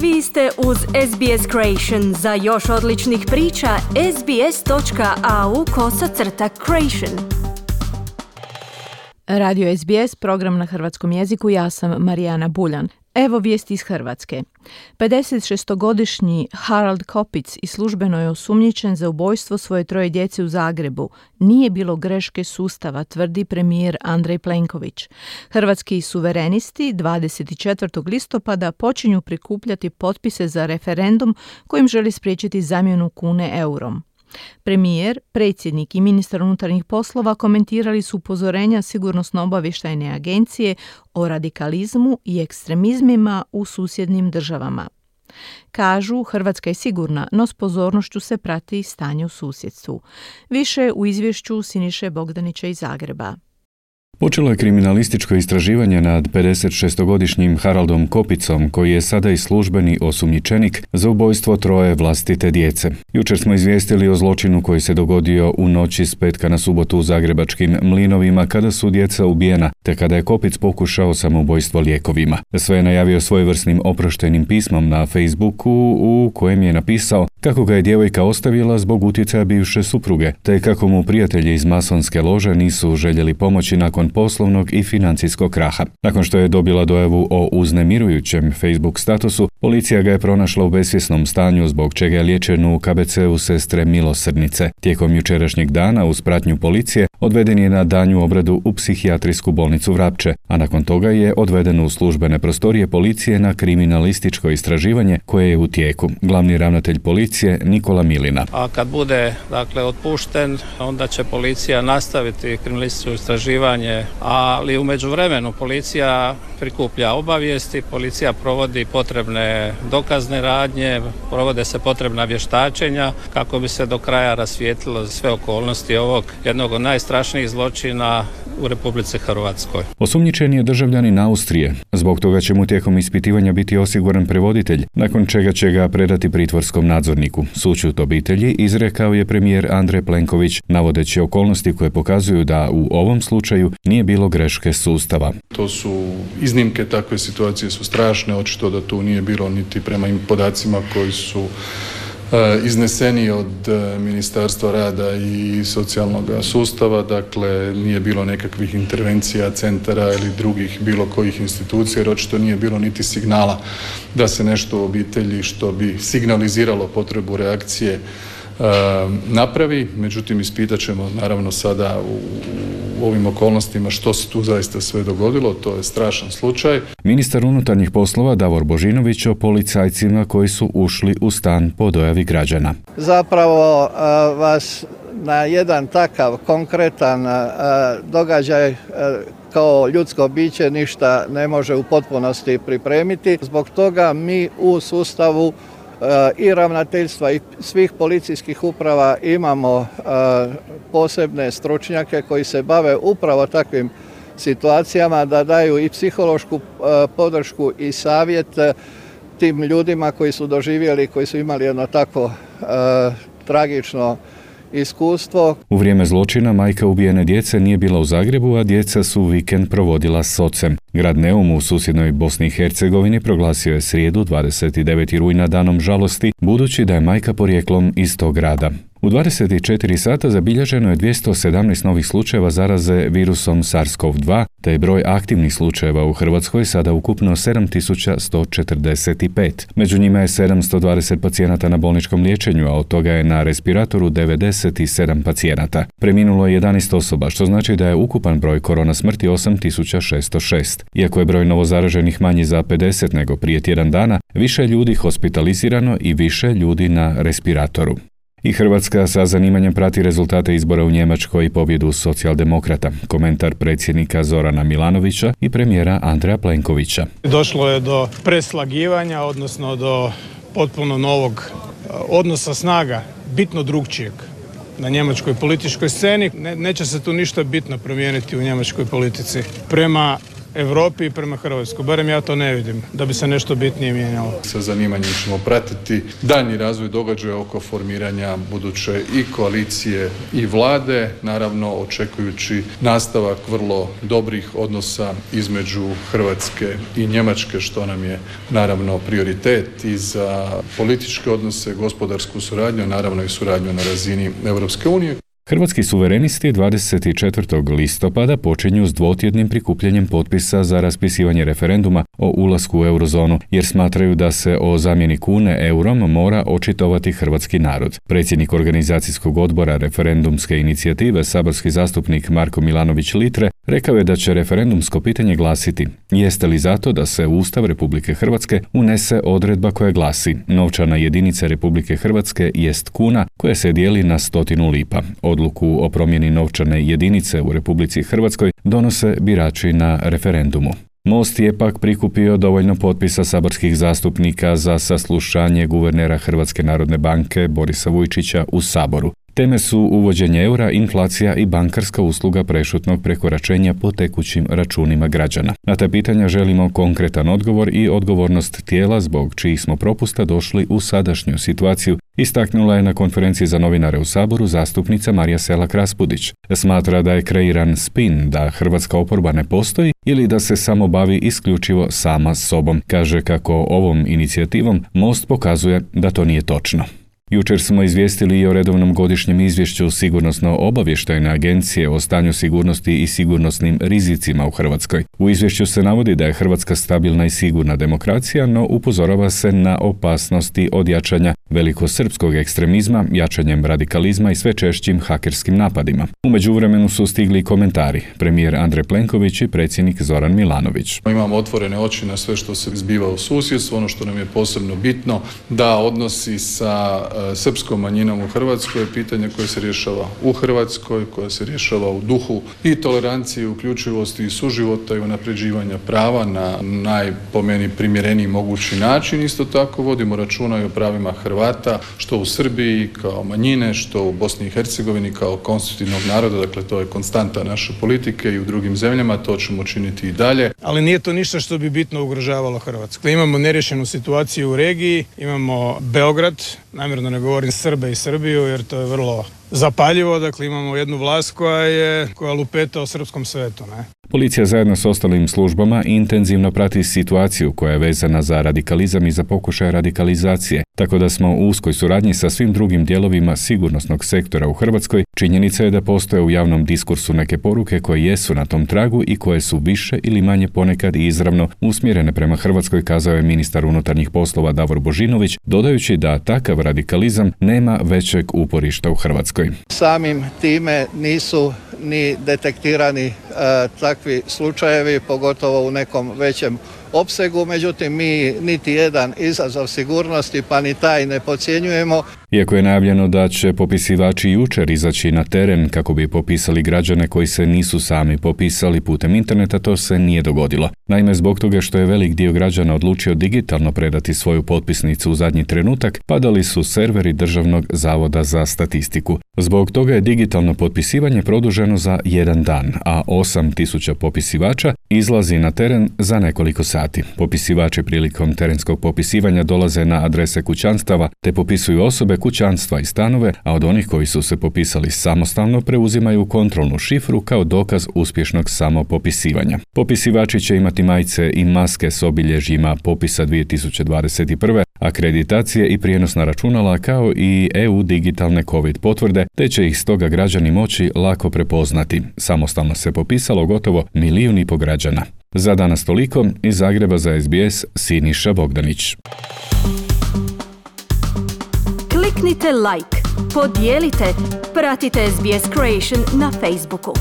Vi ste uz SBS Creation. Za još odličnih priča, sbs.au/creation. Radio SBS, program na hrvatskom jeziku, ja sam Marijana Buljan. Evo vijesti iz Hrvatske. 56-godišnji Harold Kopic i službeno je osumnjičen za ubojstvo svoje 3 djece u Zagrebu. Nije bilo greške sustava, tvrdi premijer Andrej Plenković. Hrvatski suverenisti 24. listopada počinju prikupljati potpise za referendum kojim želi spriječiti zamjenu kune eurom. Premijer, predsjednik i ministar unutarnjih poslova komentirali su upozorenja Sigurnosno-obavještajne agencije o radikalizmu i ekstremizmima u susjednim državama. Kažu, Hrvatska je sigurna, no s pozornošću se prati stanje u susjedstvu. Više u izvješću Siniše Bogdanića iz Zagreba. Počelo je kriminalističko istraživanje nad 56-godišnjim Haroldom Kopicom, koji je sada i službeni osumnjičenik za ubojstvo 3 vlastite djece. Jučer smo izvijestili o zločinu koji se dogodio u noći s petka na subotu u zagrebačkim Mlinovima, kada su djeca ubijena, te kada je Kopic pokušao samoubojstvo lijekovima. Sve je najavio svojevrsnim oproštenim pismom na Facebooku, u kojem je napisao kako ga je djevojka ostavila zbog utjecaja bivše supruge, te kako mu prijatelji iz masonske lože nisu željeli pomoći nakon poslovnog i financijskog kraha. Nakon što je dobila dojavu o uznemirujućem Facebook statusu, policija ga je pronašla u besvjesnom stanju, zbog čega je liječen u KBC-u Sestre Milosrdnice. Tijekom jučerašnjeg dana uz pratnju policije odveden je na daljnju obradu u psihijatrijsku bolnicu Vrapče, a nakon toga je odveden u službene prostorije policije na kriminalističko istraživanje koje je u tijeku. Glavni ravnatelj policije Nikola Milina. A kad bude otpušten, onda će policija nastaviti kriminalističko istraživanje, ali u međuvremenu policija prikuplja obavijesti, policija provodi potrebne dokazne radnje, provode se potrebna vještačenja kako bi se do kraja rasvijetlilo sve okolnosti ovog jednog od najstrašnijih zločina u Republici Hrvatskoj. Osumnjičen je državljanin Austrije. Zbog toga će mu tijekom ispitivanja biti osiguran prevoditelj, nakon čega će ga predati pritvorskom nadzorniku. Sućut obitelji izrekao je premijer Andrej Plenković, navodeći okolnosti koje pokazuju da u ovom slučaju nije bilo greške sustava. To su iznimke, takve situacije su strašne, očito da tu nije bilo niti prema podacima koji su izneseni od Ministarstva rada i socijalnog sustava, dakle nije bilo nekakvih intervencija centara ili drugih bilo kojih institucija, jer očito nije bilo niti signala da se nešto u obitelji što bi signaliziralo potrebu reakcije napravi. Međutim, ispitat ćemo naravno sada u ovim okolnostima što se tu zaista sve dogodilo, to je strašan slučaj. Ministar unutarnjih poslova Davor Božinović o policajcima koji su ušli u stan po dojavi građana. Zapravo vas na jedan takav konkretan događaj kao ljudsko biće ništa ne može u potpunosti pripremiti. Zbog toga mi u sustavu i ravnateljstva i svih policijskih uprava imamo posebne stručnjake koji se bave upravo takvim situacijama, da daju i psihološku podršku i savjet tim ljudima koji su doživjeli, koji su imali jedno tako tragično iskustvo. U vrijeme zločina majka ubijene djece nije bila u Zagrebu, a djeca su vikend provodila s ocem. Grad Neum u susjednoj Bosni i Hercegovini proglasio je srijedu 29. rujna danom žalosti, budući da je majka porijeklom iz tog grada. U 24 sata zabilježeno je 217 novih slučajeva zaraze virusom SARS-CoV-2, te je broj aktivnih slučajeva u Hrvatskoj sada ukupno 7145. Među njima je 720 pacijenata na bolničkom liječenju, a od toga je na respiratoru 97 pacijenata. Preminulo je 11 osoba, što znači da je ukupan broj korona smrti 8606. Iako je broj novozaraženih manji za 50 nego prije tjedan dana, više ljudi hospitalizirano i više ljudi na respiratoru. I Hrvatska sa zanimanjem prati rezultate izbora u Njemačkoj i pobjedu socijaldemokrata. Komentar predsjednika Zorana Milanovića i premijera Andreja Plenkovića. Došlo je do preslagivanja, odnosno do potpuno novog odnosa snaga, bitno drugčijeg na njemačkoj političkoj sceni. Neće se tu ništa bitno promijeniti u njemačkoj politici. Prema Europi i prema Hrvatskoj. Barem ja to ne vidim, da bi se nešto bitnije mijenjalo. Sa zanimanjem ćemo pratiti daljnji razvoj događaja oko formiranja buduće i koalicije i vlade, naravno očekujući nastavak vrlo dobrih odnosa između Hrvatske i Njemačke, što nam je naravno prioritet i za političke odnose, gospodarsku suradnju, naravno i suradnju na razini Europske unije. Hrvatski suverenisti 24. listopada počinju s dvotjednim prikupljanjem potpisa za raspisivanje referenduma o ulasku u eurozonu, jer smatraju da se o zamjeni kune eurom mora očitovati hrvatski narod. Predsjednik organizacijskog odbora referendumske inicijative, saborski zastupnik Marko Milanović Litre, rekao je da će referendumsko pitanje glasiti: jeste li zato da se u Ustav Republike Hrvatske unese odredba koja glasi: novčana jedinica Republike Hrvatske jest kuna koja se dijeli na 100 lipa. Odluku o promjeni novčane jedinice u Republici Hrvatskoj donose birači na referendumu. Most je pak prikupio dovoljno potpisa saborskih zastupnika za saslušanje guvernera Hrvatske narodne banke Borisa Vujčića u Saboru. Teme su uvođenje eura, inflacija i bankarska usluga prešutnog prekoračenja po tekućim računima građana. Na ta pitanja želimo konkretan odgovor i odgovornost tijela zbog čijih smo propusta došli u sadašnju situaciju, istaknula je na konferenciji za novinare u Saboru zastupnica Marija Selak-Raspudić. Smatra da je kreiran spin da hrvatska oporba ne postoji ili da se samo bavi isključivo sama sobom. Kaže kako ovom inicijativom Most pokazuje da to nije točno. Jučer smo izvijestili i o redovnom godišnjem izvješću Sigurnosno-obavještajne agencije o stanju sigurnosti i sigurnosnim rizicima u Hrvatskoj. U izvješću se navodi da je Hrvatska stabilna i sigurna demokracija, no upozorava se na opasnosti od jačanja velikosrpskog ekstremizma, jačanjem radikalizma i sve češćim hakerskim napadima. U međuvremenu su stigli komentari. Premijer Andrej Plenković i predsjednik Zoran Milanović. Imamo otvorene oči na sve što se zbiva u susjedstvu. Ono što nam je posebno bitno da odnosi sa srpskom manjinom u Hrvatskoj je pitanje koje se rješava u Hrvatskoj, koje se rješava u duhu i tolerancije, uključivosti i suživota i unapređivanja prava na po meni primjereniji mogući način. Isto tako vodimo računa i o pravima Hrvata, što u Srbiji kao manjine, što u Bosni i Hercegovini kao konstitutivnog naroda. Dakle, to je konstanta naše politike i u drugim zemljama, to ćemo činiti i dalje. Ali nije to ništa što bi bitno ugrožavalo Hrvatsku. Imamo nerješenu situaciju u regiji, imamo Beograd, namjerno ne govorim Srbe i Srbiju jer to je vrlo zapaljivo, dakle imamo jednu vlast koja lupeta o srpskom svetu, ne? Policija zajedno s ostalim službama intenzivno prati situaciju koja je vezana za radikalizam i za pokušaj radikalizacije, tako da smo u uskoj suradnji sa svim drugim dijelovima sigurnosnog sektora u Hrvatskoj. Činjenica je da postoje u javnom diskursu neke poruke koje jesu na tom tragu i koje su više ili manje ponekad i izravno usmjerene prema Hrvatskoj, kazao je ministar unutarnjih poslova Davor Božinović, dodajući da takav radikalizam nema većeg uporišta u Hrvatskoj. Samim time nisu ni detektirani takvi slučajevi, pogotovo u nekom većem opsegu, međutim mi niti jedan izazov sigurnosti pa ni taj ne podcjenjujemo. Iako je najavljeno da će popisivači jučer izaći na teren kako bi popisali građane koji se nisu sami popisali putem interneta, to se nije dogodilo. Naime, zbog toga što je velik dio građana odlučio digitalno predati svoju potpisnicu u zadnji trenutak, padali su serveri Državnog zavoda za statistiku. Zbog toga je digitalno potpisivanje produženo za 1 dan, a 8.000 popisivača izlazi na teren za nekoliko sati. Popisivači prilikom terenskog popisivanja dolaze na adrese kućanstava te popisuju osobe, kućanstva i stanove, a od onih koji su se popisali samostalno preuzimaju kontrolnu šifru kao dokaz uspješnog samopopisivanja. Popisivači će imati majice i maske s obilježjima popisa 2021. akreditacije i prijenosna računala kao i EU digitalne COVID potvrde, te će ih stoga građani moći lako prepoznati. Samostalno se popisalo gotovo 1,5 milijuna građana. Za danas toliko, iz Zagreba za SBS Siniša Bogdanić. Kliknite like, podijelite, pratite SBS Creation na Facebooku.